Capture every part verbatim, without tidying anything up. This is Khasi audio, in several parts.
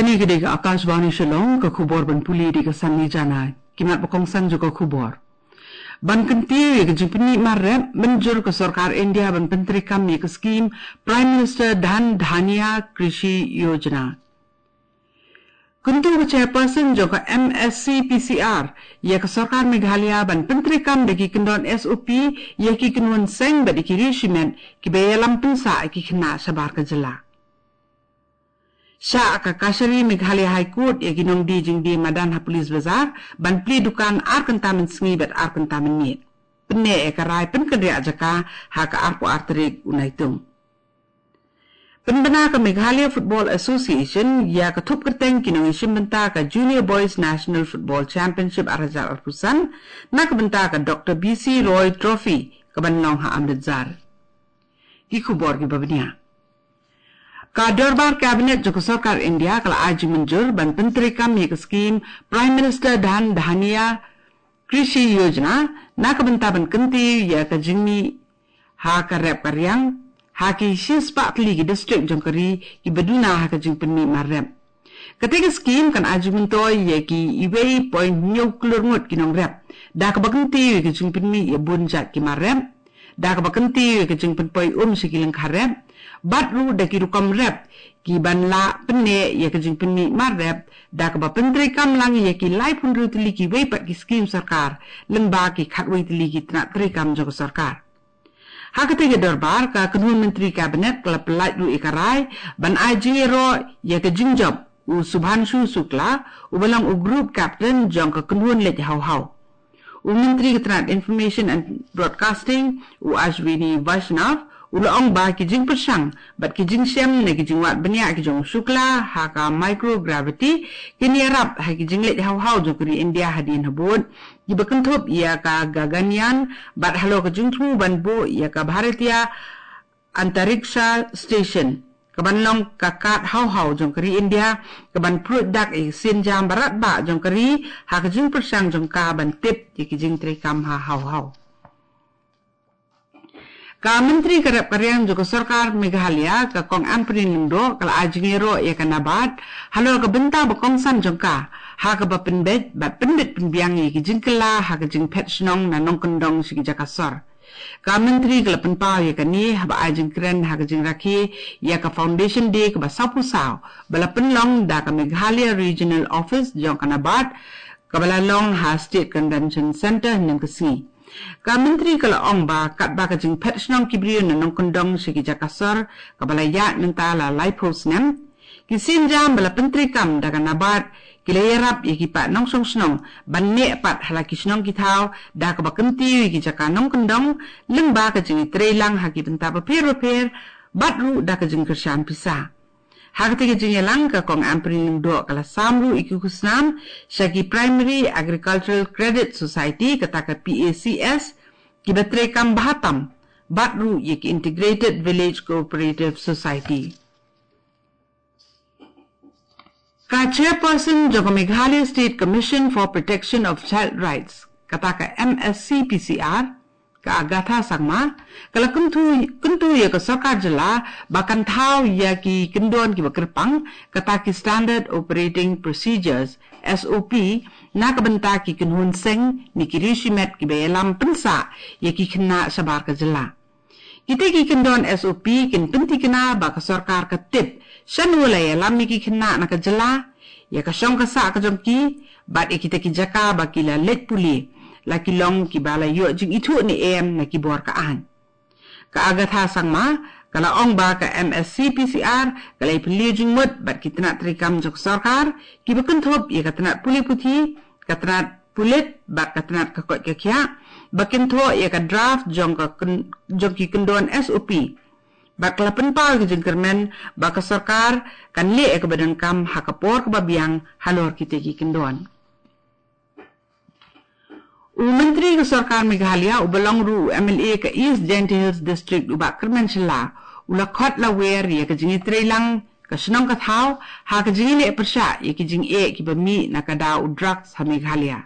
Kane ka dei ka Akashvani Shillong, ka khubor ban pule da ka Sanni Jana. Ki mat ba kongsan jong ka khubor. Ban kyntiew ïa ka jingpynmih mar rep, mynjur ka sorkar India ban pyntreikam ïa ka skim Prime Minister Dhan Dhanya Krishi Yojana. Kyntu ka chairperson jong ka M S C P C R ïa ka sorkar Meghalaya ban pyntreikam da ki kyndon S O P ïa ki kynhun seng bad ïa ki riewshimet kiba ïalam pynsah ïa ki khynnah shabar ka jylla. Shah ka Kachari Meghalaya High Court ïa ki nongdie jingdie madan ha Police Bazar ban plie dukan ar kynta mynsngi bad ar kynta mynmiet. Pyneh ïa ka rai pynkynriah jaka ha ka arphew ar tarik u Naitung. Pynbna ka Meghalaya Football Association ïa ka thup kyrteng ki nongïashim bynta ka Junior Boys National Football Championship ar hajar arphew san na ka bynta ka Doctor B C Roy Trophy kaban long ha Amritsar. Ki khubor kiba bniah. Ka Dorbar Cabinet jong ka Sorkar India ka la ai jingmynjur ban pyntreikam ïa ka skim Prime Minister Dhan Dhanya Krishi Yojana na ka bynta ban kyntiew ïa ka jingmih ha ka rep ka riang ha ki shispah tylli ki district jong ka ri kiba duna ha ka jingpynmih mar rep. Kata ka skim kan ai jingmyntoi ïa ki wei point hynñiew klur ngut ki nongrep da kaba kyntiew ïa ka jingpynmih ïa bun jait ki mar rep, da kaba kyntiew ïa ka jingpynpoi um sha ki lyngkha rep bad ruh da ki rukom rep kiban lah pynneh ïa ka jingpynmih mar rep, da kaba pyntreikam lang ïa ki laiphew hynriew tylli kiwei pat ki skim sorkar lyngba ki khatwei tylli ki tnat treikam jong ka sorkar. Ha kata ka dorbar, ka kynhun Myntri Cabinet ka la pyllait ruh ïa ka rai ban ai jingïaroh ïa ka jingjop u Subhanshu Shukla, uba long u Group Captain jong ka kynhun leit hawhaw. U Myntri ka tnat Information and Broadcasting, u Ashwini Vaishnaw, u la ong ba ki jingpyrshang bad ki jingshem na ki jingwad bniah ki jong u Shukla ha ka microgravity kin ïarap ha ki jingleit hawhaw jong ka ri India hadien habud, kiba kynthup ïa ka Gaganyaan bad halor ka jingthmu ban buh ïa ka Bharatiya Antariksha Station, kaban long ka kad hawhaw jong ka ri India, kaban pruid dak ïa ka sienjam barat bah jong ka ri ha ka jingpyrshang jong ka ban tip ïa ki jingtreikam ha hawhaw. Ka Myntri ka rep ka riang jong ka Sorkar Meghalaya, ka Kong Ampareen Lyngdoh, ka la ai jingïaroh ïa ka NABARD halor ka bynta ba kongsan jong ka ha kaba pynbeit bad pynbit pynbiang ïa ki jingkylla ha ka jingphet shnong na nongkyndong sha ki jaka sor. Ka Myntri ka la pynpaw ïa kane haba ai jingkren ha ka jingrakhe ïa ka Foundation Day kaba sawphew saw ba la pynlong da ka Meghalaya Regional Office jong ka NABARD, kaba la long ha State Convention Centre hynnin ka sngi. Ka Myntri ka la ong ba katba ka jingphet shnong ki briew na nongkyndong sha ki jaka sor kaba la ïaid mynta la laiphew snem, ki sienjam ba la pyntreikam da ka NABARD ki la ïarap ïa ki paid nongshong shnong ban neh pat ha la ki shnong ki thaw da kaba kyntiew ïa ki jaka nongkyndong lyngba ka jingïatreilang ha ki bynta bapher bapher bad ruh da ka jingkyrshan pisa. Ha kata ka jingïalang, ka Kong Ampareen Lyngdoh ka la sam ruh ïa ki khusnam sha ki Primary Agricultural Credit Society, kata ka P A C S, kiba treikam bha tam bad ruh ïa ki Integrated Village Cooperative Society. Ka Chairperson jong ka Meghalaya State Commission for Protection of Child Rights, kata ka M S C P C R, ka Agatha Sangma, ka la kyntu, kyntu ïa ka sorkar jylla ba kan thaw ïa ki kyndon kiba kyrpang, kata ki Standard Operating Procedures, S O P, na ka bynta ki kynhun seng ne ki riewshimet kiba ïalam pynsah ïa ki khynnah shabar ka jylla. Kita ki kyndon S O P kin pynthikna ba ka sorkar ka tip shano la ïalam ïa ki khynnah na ka jylla, ïa ka shong ka sah ka jong ki, bad ïa kita ki jaka ba ki la leit pule, la ki long kiba la ïoh jingithuh ne em na ki bor ka aiñ. Ka Agatha Sangma ka la ong ba ka M S C P C R ka la ïapylliew jingmut bad ki tnat treikam jong ka sorkar, kiba kynthup ïa ka tnat pule puthi, ka tnat pulit bad ka tnat ka koit ka khiah, ba kin thoh ïa ka draft jong ka kyn-, jong ki kyndon S O P. Bad ka la pynpaw ïa ka jingkyrmen ba ka sorkar kan leh ïa kaba donkam ha ka por kaba biang halor kita ki kyndon. U Myntri ka Sorkar Meghalaya uba long ruh u M L A ka East Jaintia Hills District, u Bah Kyrmen Shylla, u la khot la wer ïa ka jingïatreilang ka shnong ka thaw ha ka jingïaleh pyrshah ïa ki jingeh kiba mih na ka daw u drugs ha Meghalaya.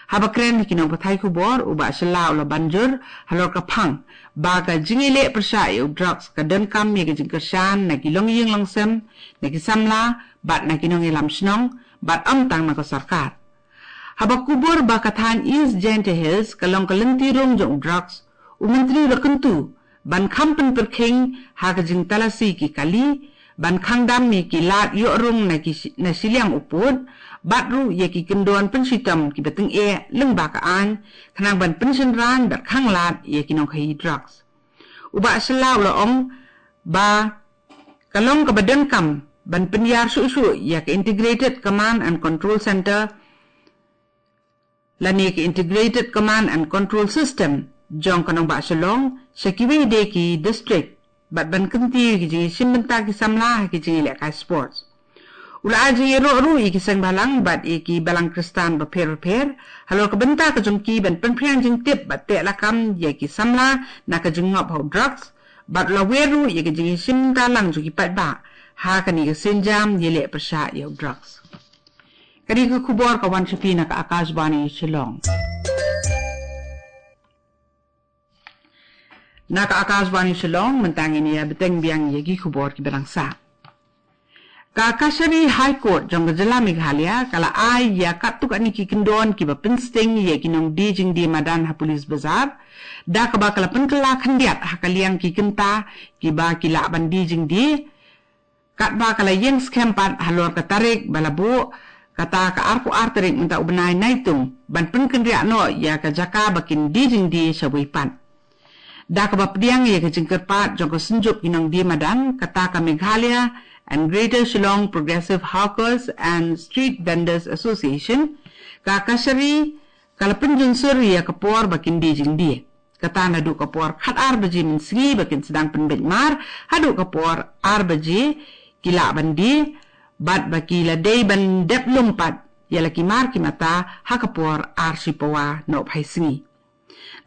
Haba kren ha ki nongpathai khubor, u Bah Shylla u la banjur halor ka phang ba ka jingïaleh pyrshah ïa u drugs ka donkam ïa ka jingkyrshan na ki longïing longsem, na ki samla bad na ki nongïalam shnong, bad ym tang na ka sorkar. Haba kubur ba ka thaiñ East Jaintia Hills ka long ka lynti rung jong u drugs, u Myntri u la kyntu ban kham pynpyrkhing ha ka jingtalasi ki kali, ban khang dam ïa ki lad ïoh rung na ki shi-, na shiliang u pud, bad ruh ïa ki kyndon pynshitom kiba tyngeh lyngba ka aiñ, khnang ban pynshynran bad khang lad ïa ki nongkhaïi drugs. U Bah Shylla u la ong ba ka long kaba donkam ban pynïar shuh shuh ïa ka Integrated Command and Control Center lane ka Integrated Command and Control System jong ka nongbah Shillong sha kiwei de ki district, bad ban kyntiew ïa ki jingïashim bynta ki samla ha ki jingïalehkai sports. U la ai jingïaroh ruh ïa ki seng bhalang bad ïa ki balang Khristan bapher bapher halor ka bynta ka jong ki ban pynphriang jingtip bad teh lakam ïa ki samla na ka jingngop ha u drugs, bad u la wer ruh ïa ka jingïashim bynta lang jong ki paidbah ha kane ka sienjam ïaleh pyrshah ïa u drugs. Kane ka khubor ka wan sha phi na ka Akashvani Shillong. Na ka Akashvani Shillong, mynta ngin ïa bteng biang ïa ki khubor kiba dang sah. Ka Kachari High Court jong ka jylla Meghalaya ka la ai ïa katto katne ki kyndon kiba pynsting ïa ki nongdie jingdie madan ha Police Bazar, da kaba ka la pynkylla khyndiat ha ka liang ki kynta kiba ki lah ban die jingdie, katba ka la ïeng skhem pat halor ka tarik ba la buh, kata ka arphew ar tarik mynta u bnai Naitung, ban pynkynriah noh ïa ka jaka ba kin die jingdie shawei pat. Da kaba pdiang ïa ka jingkyrpad jong ka Synjuk ki nongdie madan, kata ka Meghalaya and Greater Shillong Progressive Hawkers and Street Vendors Association, ka Kachari ka la pynjunsur ïa ka por ba kin die jingdie. Kata naduh ka por khatar baje mynsngi ba kin sdang pynbeit mar, haduh ka por ar baje ki lah ban die, bad ba ki la dei ban dep lum pat ïa la ki mar ki mata ha ka por ar shi pawa nohphai sngi.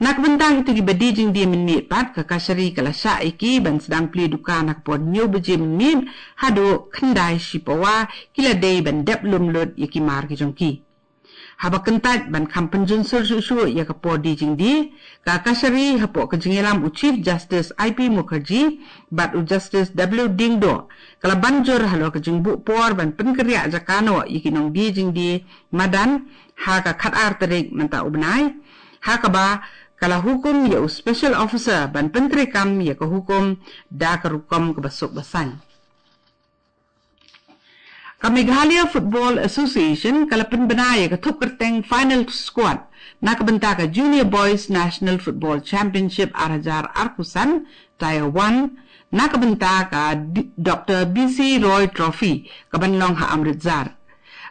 Na ka bynta kito kiba die jingdie mynmiet pat, ka Kachari ka la shah ïa ki ban sdang plie dukan ha ka por hynñiew baje mynmiet haduh khyndai shi pawa, ki la dei ban dep lum lut ïa ki mar ki jong ki. Haba kyntait ban kham pynjunsur shuh shuh ïa ka por die jingdie, ka Kachari hapoh ka jingïalam u Chief Justice I P Mukherjee bad u Justice W Diengdoh ka la banjur halor ka jingbuh por ban pynkynriah jaka noh ïa ki nongdie jingdie madan ha ka khatar tarik mynta u bnai, ha kaba ka la hukum ïa u Special Officer ban pyntreikam ïa ka hukum da ka rukom kaba suk ba saiñ. Ka Meghalaya Football Association ka la pynbna ïa ka thup kyrteng Final Squad na ka bynta ka Junior Boys National Football Championship ar hajar arphew san, Tier one, na ka bynta ka D-, Doctor B C Roy Trophy, ka ban long ha Amritsar.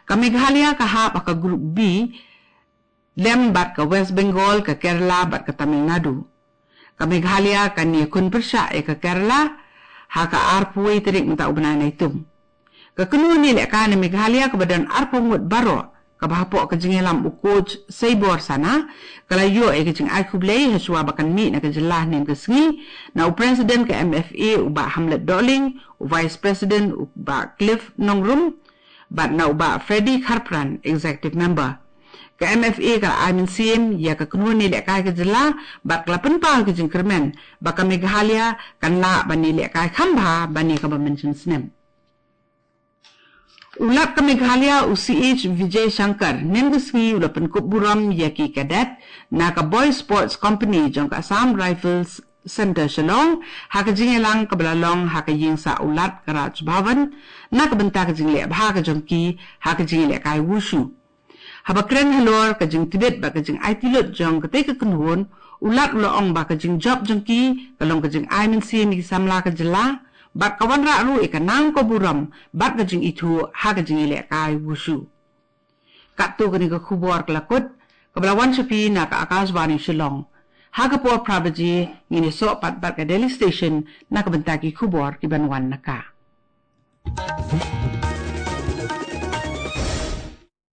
Ka Meghalaya ka hap ha ka Group B lem bad ka West Bengal, ka Kerala bad ka Tamil Nadu. Ka Meghalaya kan ïakhun pyrshah ïa ka Kerala ha ka arphew wei tarik mynta u bnai Naitung. Ka kynhun ïalehkai na Meghalaya kaba don arphew ngut baroh, kaba hapoh ka jingïalam u coach Seibor Sana, ka la ïoh ïa ka jingai khublei hashwa ba kan mih na ka jylla hynnin ka sngi na u President ka M F A u Bah Hamlet Dohling, u Vice President u Bah Cliff Nongrum, bad na u Bah Freddy Kharpran, Executive Member. Ka M F A ka la ai mynsiem ïa ka kynhun ïalehkai ka jylla bad ka la pynpaw ka jingkyrmen ba ka Meghalaya kan lah ban ïalehkai kham bha ban ïa kaba mynshem snem. U Lat ka Meghalaya u C H Vijay Shankar hynnin ka sngi u la pynkup burom ïa ki cadet na ka Boy Sports Company jong ka Assam Rifles Centre Shillong ha ka jingïalang kaba la long ha ka ïing sah u Lat ka Raj Bhavan na ka bynta ka jingleh bha ka jong ki ha ka jingïalehkai wushu. Haba kren halor ka jingtbit bad ka jingaiti lut jong katei ka kynhun, u Lat u la ong ba ka jingjop jong ki ka long ka jingai mynsiem ïa ki samla ka jylla bad ka wanrah ruh ïa ka nang ka burom bad ka jingithuh ha ka jingïalehkai wushu. Katto kane ka khubor ka la kut, kaba la wan sha phi na ka Akashvani Shillong. Ha ka por phra baje ngin ïasoh pat bad ka Delhi Station na ka bynta ki khubor ki ban wan na ka.